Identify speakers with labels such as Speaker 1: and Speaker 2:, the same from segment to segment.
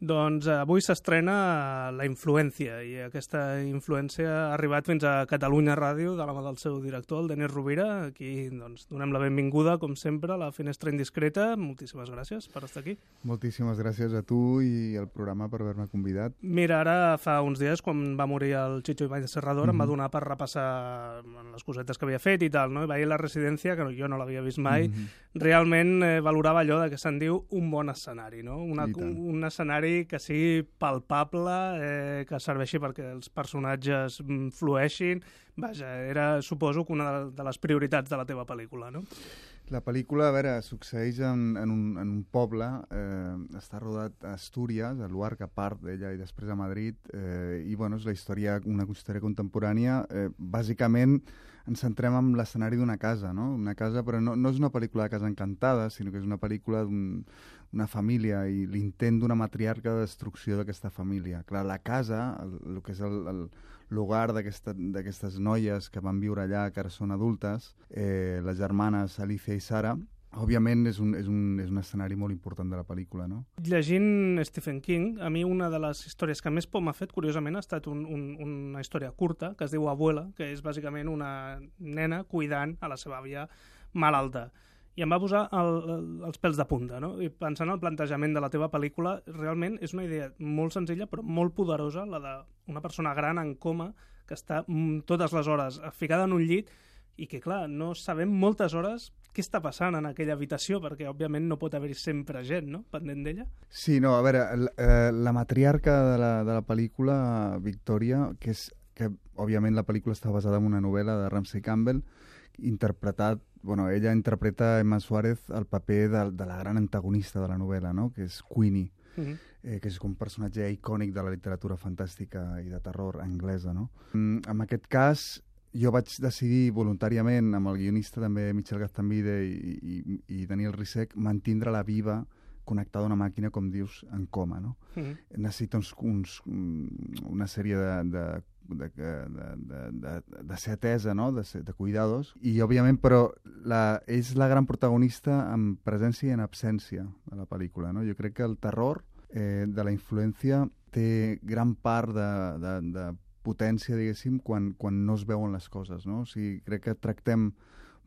Speaker 1: Doncs avui s'estrena La Influència, i aquesta influència ha arribat fins a Catalunya Ràdio de la mà del seu director, el Denis Rovira. Aquí doncs, donem la benvinguda, com sempre, a la Finestra Indiscreta. Moltíssimes gràcies per estar aquí.
Speaker 2: Moltíssimes gràcies a tu i al programa per haver-me convidat.
Speaker 1: Mira, ara fa uns dies, quan va morir el Chicho Ibáñez Serrador, em va donar per repassar les cosetes que havia fet i tal, no? I veia La Residència, que jo no l'havia vist mai. Realment valorava allò de que se'n diu un bon escenari, no? Un escenari que sigui palpable, que serveixi perquè els personatges flueixin. Vaja, era, suposo, que una de les prioritats de la teva pel·lícula, no?
Speaker 2: La pel·lícula, a veure, succeeix en un poble, està rodat a Astúries, a Luarca, a part d'ella, i després a Madrid, i bueno, és una història contemporània. Bàsicament ens centrem en l'escenari d'una casa, no? Una casa, però no és una pel·lícula de casa encantada, sinó que és una pel·lícula d'una família i l'intent d'una matriarca de destrucció d'aquesta família. Clar, la casa, el que és l'hogar d'aquestes noies que van viure allà, que ara són adultes, les germanes Alicia i Sara, òbviament és un escenari molt important de la pel·lícula, no?
Speaker 1: Llegint Stephen King, a mi una de les històries que més por m'ha fet, curiosament, ha estat una història curta, que es diu Abuela, que és bàsicament una nena cuidant a la seva àvia malalta. I em va posar els pèls de punta, no? I pensant en el plantejament de la teva pel·lícula, realment és una idea molt senzilla però molt poderosa, la d'una persona gran en coma que està totes les hores ficada en un llit i que, clar, no sabem moltes hores què està passant en aquella habitació, perquè, òbviament, no pot haver-hi sempre gent, no?, pendent d'ella.
Speaker 2: Sí, no, a veure, la matriarca de la pel·lícula, Victoria, que òbviament la pel·lícula està basada en una novel·la de Ramsey Campbell, interpretat, bueno, ella interpreta Emma Suárez el paper de la gran antagonista de la novel·la, no?, que és Queenie, que és un personatge icònic de la literatura fantàstica i de terror anglesa, no? En aquest cas, jo vaig decidir voluntàriament, amb el guionista també Michel Gaztambide i Daniel Risek, mantindre-la viva, connectada a una màquina, com dius, en coma, no? Necessita una sèrie de ser atesa, no?, de cuidados, i òbviament, però és la gran protagonista en presència i en absència de la pel·lícula, no? Jo crec que el terror de La Influència té gran part de potència, diguéssim, quan no es veuen les coses, no? O sigui, crec que tractem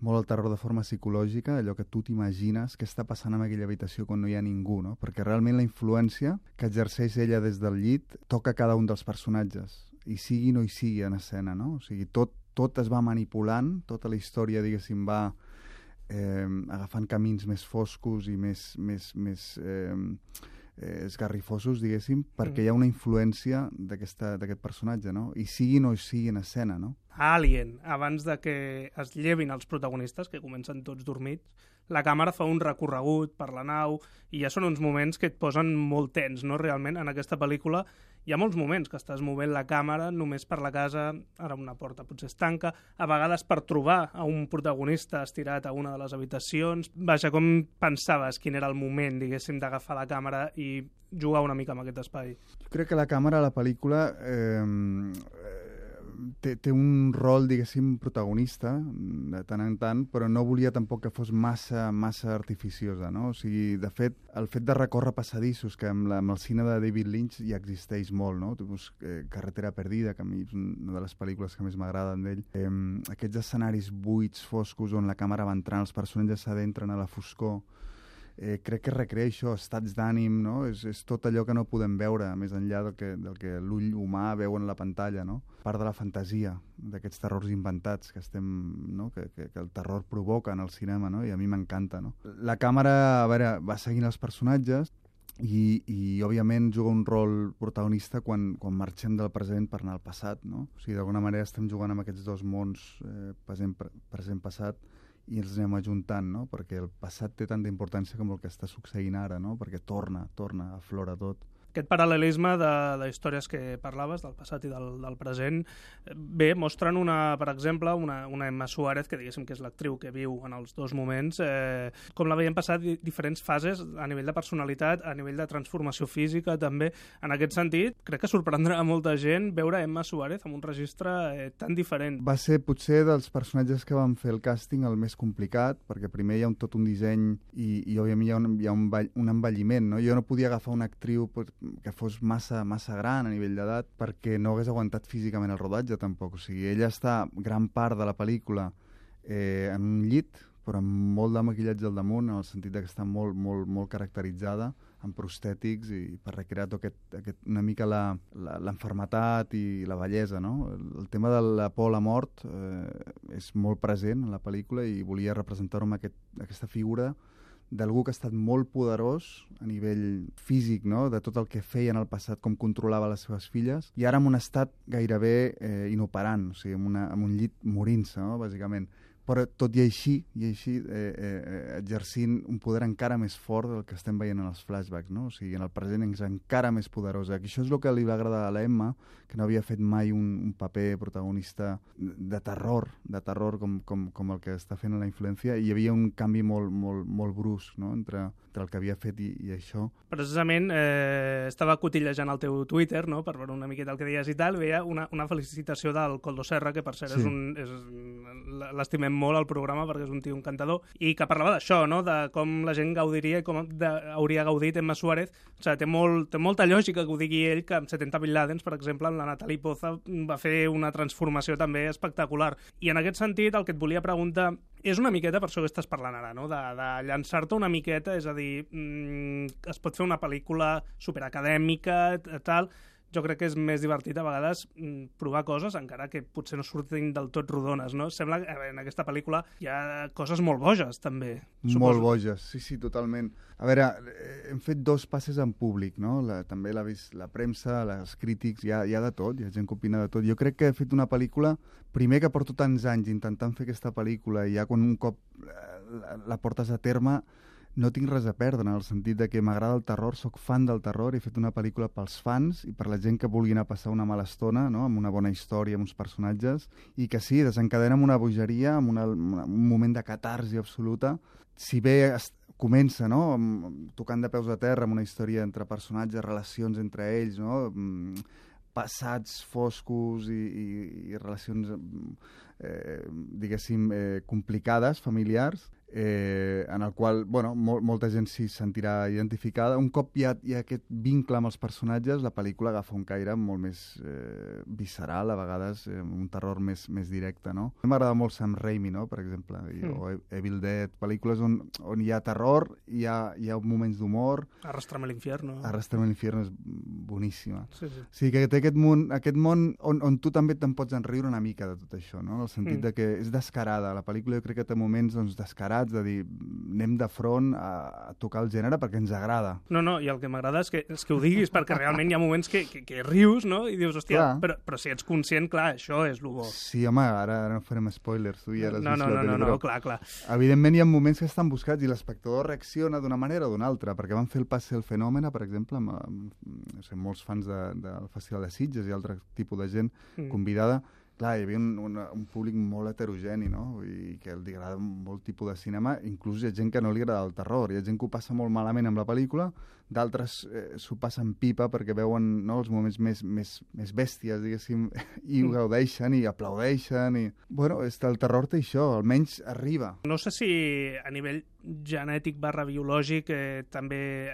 Speaker 2: molt el terror de forma psicològica, allò que tu t'imagines què està passant en aquella habitació quan no hi ha ningú, no? Perquè realment la influència que exerceix ella des del llit toca cada un dels personatges, i sigui o no hi sigui en escena, no? O sigui, tot es va manipulant, tota la història, diguéssim, va agafant camins més foscos i més esgarrifosos, diguéssim, perquè hi ha una influència d'aquest personatge, no? I sigui o no sigui en escena, no?
Speaker 1: Alien, abans de que es llevin els protagonistes, que comencen tots dormits, la càmera fa un recorregut per la nau i ja són uns moments que et posen molt tens, no? Realment, en aquesta pel·lícula hi ha molts moments que estàs movent la càmera només per la casa, ara una porta potser es tanca, a vegades per trobar a un protagonista estirat a una de les habitacions. Vaja, com pensaves quin era el moment, diguéssim, d'agafar la càmera i jugar una mica amb aquest espai?
Speaker 2: Jo crec que la càmera a la pel·lícula té un rol, diguéssim, protagonista, de tant en tant, però no volia tampoc que fos massa artificiosa, no? O sigui, de fet, el fet de recórrer passadissos, que amb el cine de David Lynch ja existeix molt, no? Carretera perdida, que a mi és una de les pel·lícules que més m'agraden d'ell. Aquests escenaris buits, foscos, on la càmera va entrant, els personatges s'adentren a la foscor, crec que recrea això, estats d'ànim, no? És tot allò que no podem veure més enllà del que l'ull humà veu en la pantalla, no? Part de la fantasia d'aquests terrors inventats que no? que el terror provoca en el cinema, no? I a mi m'encanta, no? La càmera, a veure, va seguint els personatges i òbviament juga un rol protagonista quan marxem del present per anar al passat, no? O sigui, d'alguna manera estem jugant amb aquests dos mons, present-passat, i ens anem ajuntant, no? Perquè el passat té tanta importància com el que està succeint ara, no? Perquè torna, aflora tot.
Speaker 1: Aquest paral·lelisme de històries que parlaves, del passat i del present, bé, mostren, per exemple, una Emma Suárez, que diguéssim que és l'actriu que viu en els dos moments, com la veiem passar diferents fases a nivell de personalitat, a nivell de transformació física, també. En aquest sentit, crec que sorprendrà a molta gent veure Emma Suárez amb un registre tan diferent.
Speaker 2: Va ser potser dels personatges que van fer el càsting el més complicat, perquè primer hi ha tot un disseny i òbviament hi ha un envelliment, no? Jo no podia agafar una actriu que fos massa gran a nivell d'edat perquè no hagués aguantat físicament el rodatge tampoc. O sigui, ella està gran part de la pel·lícula en un llit, però amb molt de maquillatge al damunt, en el sentit que està molt caracteritzada, amb prostètics, i per recrear una mica l'enfermetat i la bellesa, no? El tema de la por a la mort és molt present en la pel·lícula i volia representar-ho amb aquesta figura d'algú que ha estat molt poderós a nivell físic, no? De tot el que feia en el passat, com controlava les seves filles, i ara en un estat gairebé inoperant, o sigui, en un llit morint-se, no? Bàsicament. Però tot i així exercint un poder encara més fort del que estem veient en els flashbacks, no? O sigui, en el present és encara més poderosa. I això és el que li va agradar a l'Emma, que no havia fet mai un paper protagonista de terror com el que està fent en La influència, i hi havia un canvi molt brusc, no? entre el que havia fet i això.
Speaker 1: Precisament estava cotillejant el teu Twitter, no? Per veure una miqueta el que deies i tal, veia una felicitació del Koldo Serra, que per cert
Speaker 2: sí.
Speaker 1: L'estimem molt al programa perquè és un tio encantador, i que parlava d'això, no? De com la gent gaudiria i com hauria gaudit Emma Suárez. O sigui, té molta lògica que ho digui ell, que amb 70 Bin Ladens, per exemple, amb la Natalie Poza va fer una transformació també espectacular. I en aquest sentit, el que et volia preguntar és una miqueta, per això que estàs parlant ara, no? De llançar-te una miqueta, és a dir, es pot fer una pel·lícula superacadèmica, tal. Jo crec que és més divertit a vegades provar coses, encara que potser no surtin del tot rodones, no? Sembla que en aquesta pel·lícula hi ha coses molt boges, també.
Speaker 2: Molt boges, sí, totalment. A veure, hem fet 2 passes en públic, no? També l'ha vist la premsa, els crítics, hi ha de tot, hi ha gent que opina de tot. Jo crec que he fet una pel·lícula, primer que porto tants anys intentant fer aquesta pel·lícula, i ja quan un cop la portes a terme, no tinc res a perdre, en el sentit de que m'agrada el terror, sóc fan del terror, he fet una pel·lícula pels fans i per la gent que vulgui anar a passar una mala estona, no? Amb una bona història, amb uns personatges, i que sí, desencadena amb una bogeria, amb un moment de catarsi absoluta. Si bé comença, no? Tocant de peus a terra, amb una història entre personatges, relacions entre ells, no? Passats foscos i relacions, diguéssim, complicades, familiars, en el qual, bueno, molta gent s'hi sentirà identificada. Un cop hi ha aquest vincle amb els personatges, la pel·lícula agafa un caire molt més visceral, a vegades un terror més directe, no? M'agrada molt Sam Raimi, no?, per exemple, o Evil Dead, pel·lícules on hi ha terror, hi ha moments d'humor.
Speaker 1: Arrastrame l'infierno.
Speaker 2: Arrastrame l'infierno és boníssima.
Speaker 1: Sí.
Speaker 2: Sí, que té aquest món on tu també te'n pots enriure una mica de tot això, no? En el sentit de que és descarada. La pel·lícula jo crec que té moments descarats, de dir, anem de front a tocar el gènere perquè ens agrada.
Speaker 1: No, i el que m'agrada és que ho diguis, perquè realment hi ha moments que rius, no?, i dius, hòstia, però si ets conscient, clar, això és el bo.
Speaker 2: Sí, home, ara no farem spoilers, tu ja l'has vist la tele,
Speaker 1: no, clar.
Speaker 2: Evidentment hi ha moments que estan buscats i l'espectador reacciona d'una manera o d'una altra, perquè van fer el Passe el Fenòmena, per exemple, amb molts fans del Festival de Sitges i altre tipus de gent convidada. Clar, hi havia un públic molt heterogeni, no? I que li agrada molt tipus de cinema. Inclús hi ha gent que no li agrada el terror. Hi ha gent que ho passa molt malament amb la pel·lícula, d'altres s'ho passen pipa perquè veuen, no, els moments més bèsties, diguéssim, i ho gaudeixen i aplaudeixen. Bueno, el terror té això, almenys arriba.
Speaker 1: No sé si a nivell genètic / biològic també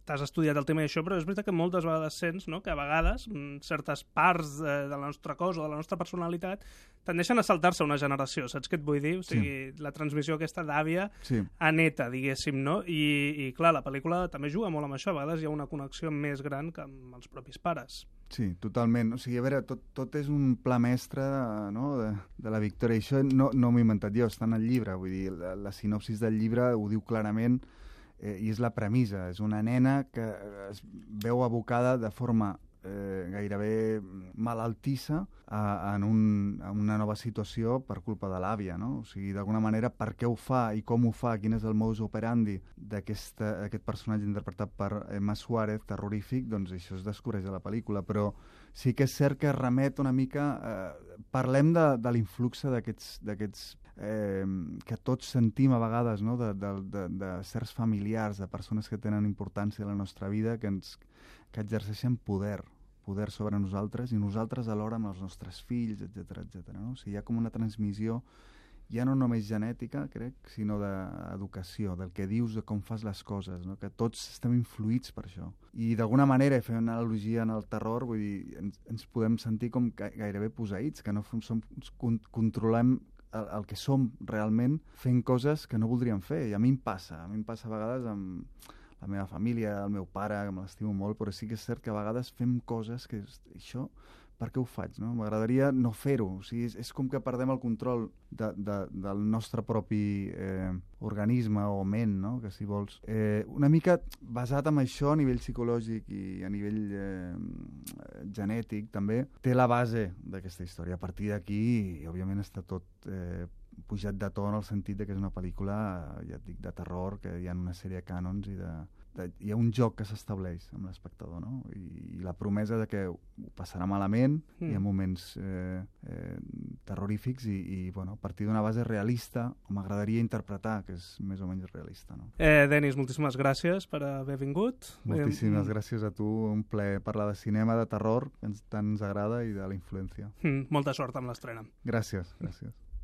Speaker 1: t'has estudiat el tema d'això, però és veritat que moltes vegades sents, no?, que a vegades certes parts de la nostra cos o de la nostra personalitat tendeixen a saltar-se una generació, saps què et vull dir? O sigui, la transmissió aquesta d'àvia a neta, diguéssim, no? I clar, la pel·lícula també juga molt amb això, a vegades hi ha una connexió més gran que amb els propis pares.
Speaker 2: Sí, totalment. O sigui, a veure, tot és un pla mestre, no?, de la Victòria. I això no m'ho he inventat jo, està en el llibre. Vull dir, la sinopsis del llibre ho diu clarament i és la premissa. És una nena que es veu abocada de forma gairebé malaltissa en una nova situació per culpa de l'àvia, no? O sigui, d'alguna manera, per què ho fa i com ho fa, quin és el modus operandi d'aquest personatge interpretat per Emma Suárez, terrorífic, doncs això es descobreix a la pel·lícula, però sí que és cert que remet una mica... Parlem de l'influxe d'aquests que tots sentim a vegades, no?, de certs familiars, de persones que tenen importància a la nostra vida, que exerceixen poder sobre nosaltres i nosaltres alhora amb els nostres fills, etc. No? O sigui, hi ha com una transmissió ja no només genètica, crec, sinó d'educació, del que dius, de com fas les coses, no? Que tots estem influïts per això. I d'alguna manera, fent una analogia en el terror, vull dir, ens podem sentir com gairebé posseïts, que no controlem el que som realment fent coses que no voldríem fer. I a mi em passa a vegades amb la meva família, el meu pare, que me l'estimo molt, però sí que és cert que a vegades fem coses que això, per què ho faig? No? M'agradaria no fer-ho. O sigui, és com que perdem el control del nostre propi organisme o ment, no? Que si vols. Una mica basat en això a nivell psicològic i a nivell genètic també, té la base d'aquesta història. A partir d'aquí, òbviament, està tot pujat de to en el sentit de que és una pel·lícula, ja et dic, de terror, que hi ha una sèrie de cànons i hi ha un joc que s'estableix amb l'espectador, no? I la promesa de que ho passarà malament, hi ha moments terrorífics i bueno, a partir d'una base realista, o m'agradaria interpretar que és més o menys realista, no?
Speaker 1: Denis, moltíssimes gràcies per haver vingut.
Speaker 2: Moltíssimes gràcies a tu, un plaer parlar de cinema, de terror, que tant ens agrada, i de la influència.
Speaker 1: Molta sort amb l'estrena.
Speaker 2: Gràcies.